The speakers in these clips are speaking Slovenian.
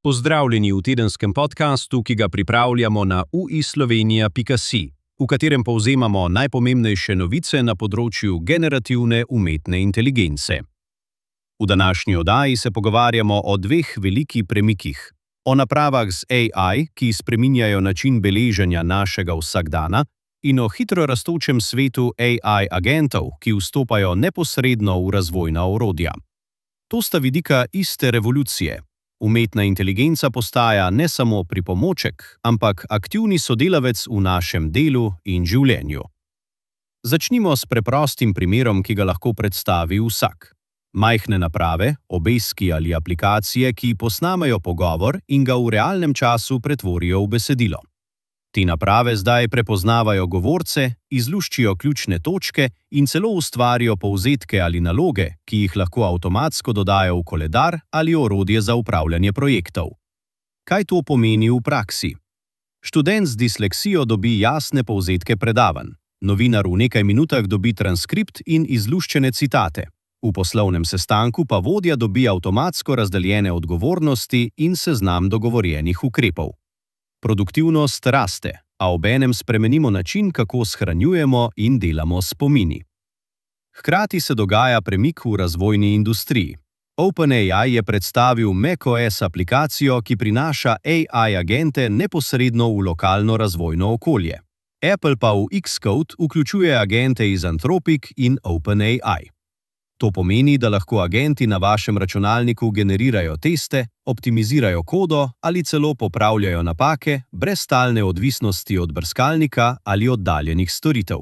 Pozdravljeni v tedenskem podkastu, ki ga pripravljamo na uislovenija.si, v katerem povzemamo najpomembnejše novice na področju generativne umetne inteligence. V današnji oddaji se pogovarjamo o dveh velikih premikih. O napravah z AI, ki spreminjajo način beleženja našega vsakdana, in o hitro rastočem svetu AI agentov, ki vstopajo neposredno v razvojna orodja. To sta vidika iste revolucije. Umetna inteligenca postaja ne samo pripomoček, ampak aktivni sodelavec v našem delu in življenju. Začnimo s preprostim primerom, ki ga lahko predstavi vsak. Majhne naprave, obeski ali aplikacije, ki posnamejo pogovor in ga v realnem času pretvorijo v besedilo. Te naprave zdaj prepoznavajo govorce, izluščijo ključne točke in celo ustvarijo povzetke ali naloge, ki jih lahko avtomatsko dodajo v koledar ali orodje za upravljanje projektov. Kaj to pomeni v praksi? Študent z disleksijo dobi jasne povzetke predavanj. Novinar v nekaj minutah dobi transkript in izluščene citate. V poslovnem sestanku pa vodja dobi avtomatsko razdeljene odgovornosti in seznam dogovorjenih ukrepov. Produktivnost raste, a obenem spremenimo način, kako shranjujemo in delamo s spomini. Hkrati se dogaja premik v razvojni industriji. OpenAI je predstavil macOS aplikacijo, ki prinaša AI agente neposredno v lokalno razvojno okolje. Apple pa v Xcode vključuje agente iz Anthropic in OpenAI. To pomeni, da lahko agenti na vašem računalniku generirajo teste, optimizirajo kodo ali celo popravljajo napake brez stalne odvisnosti od brskalnika ali oddaljenih storitev.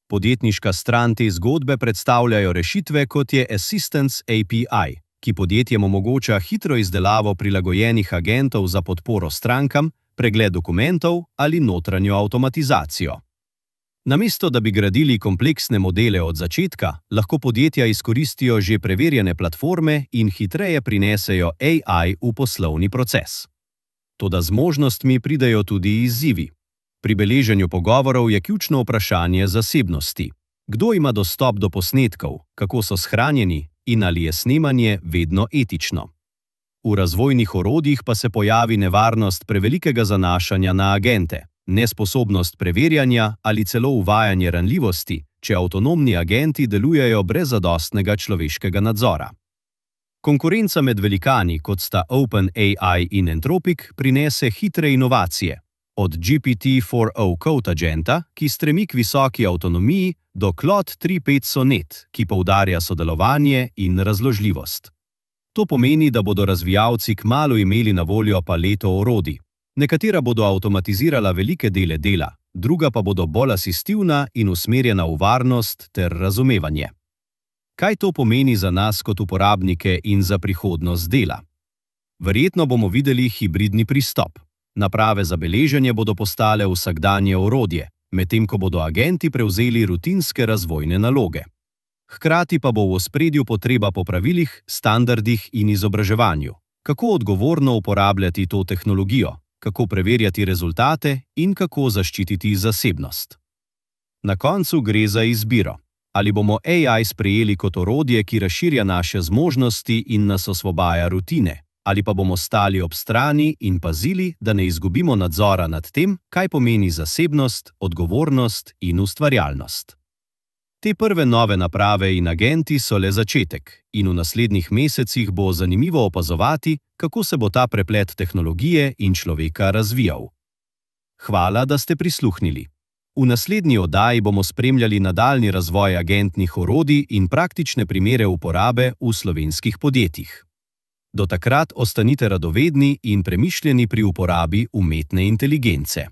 Podjetniška stran te zgodbe predstavljajo rešitve, kot je Assistance API, ki podjetjem omogoča hitro izdelavo prilagojenih agentov za podporo strankam, pregled dokumentov ali notranjo avtomatizacijo. Namesto da bi gradili kompleksne modele od začetka, lahko podjetja izkoristijo že preverjene platforme in hitreje prinesejo AI v poslovni proces. Toda z možnostmi pridejo tudi izzivi. Pri beleženju pogovorov je ključno vprašanje zasebnosti. Kdo ima dostop do posnetkov, kako so shranjeni in ali je snemanje vedno etično? V razvojnih orodjih pa se pojavi nevarnost prevelikega zanašanja na agente. Nesposobnost preverjanja ali celo uvajanje ranljivosti, če avtonomni agenti delujejo brez zadostnega človeškega nadzora. Konkurenca med velikani, kot sta OpenAI in Anthropic, prinese hitre inovacije. Od GPT-4o Code Agenta, ki stremi k visoki avtonomiji, do Claude 3.5 Sonnet, ki poudarja sodelovanje in razložljivost. To pomeni, da bodo razvijalci kmalu imeli na voljo paleto orodij. Nekatera bodo avtomatizirala velike dele dela, druga pa bodo bolj asistivna in usmerjena v varnost ter razumevanje. Kaj to pomeni za nas kot uporabnike in za prihodnost dela? Verjetno bomo videli hibridni pristop. Naprave za beleženje bodo postale vsakdanje orodje, medtem ko bodo agenti prevzeli rutinske razvojne naloge. Hkrati pa bo v ospredju potreba po pravilih, standardih in izobraževanju. Kako odgovorno uporabljati to tehnologijo? Kako preverjati rezultate in kako zaščititi zasebnost. Na koncu gre za izbiro. Ali bomo AI sprejeli kot orodje, ki razširja naše zmožnosti in nas osvobaja rutine, ali pa bomo stali ob strani in pazili, da ne izgubimo nadzora nad tem, kaj pomeni zasebnost, odgovornost in ustvarjalnost. Te prve nove naprave in agenti so le začetek in v naslednjih mesecih bo zanimivo opazovati, kako se bo ta preplet tehnologije in človeka razvijal. Hvala, da ste prisluhnili. V naslednji oddaji bomo spremljali nadaljnji razvoj agentnih orodij in praktične primere uporabe v slovenskih podjetjih. Do takrat ostanite radovedni in premišljeni pri uporabi umetne inteligence.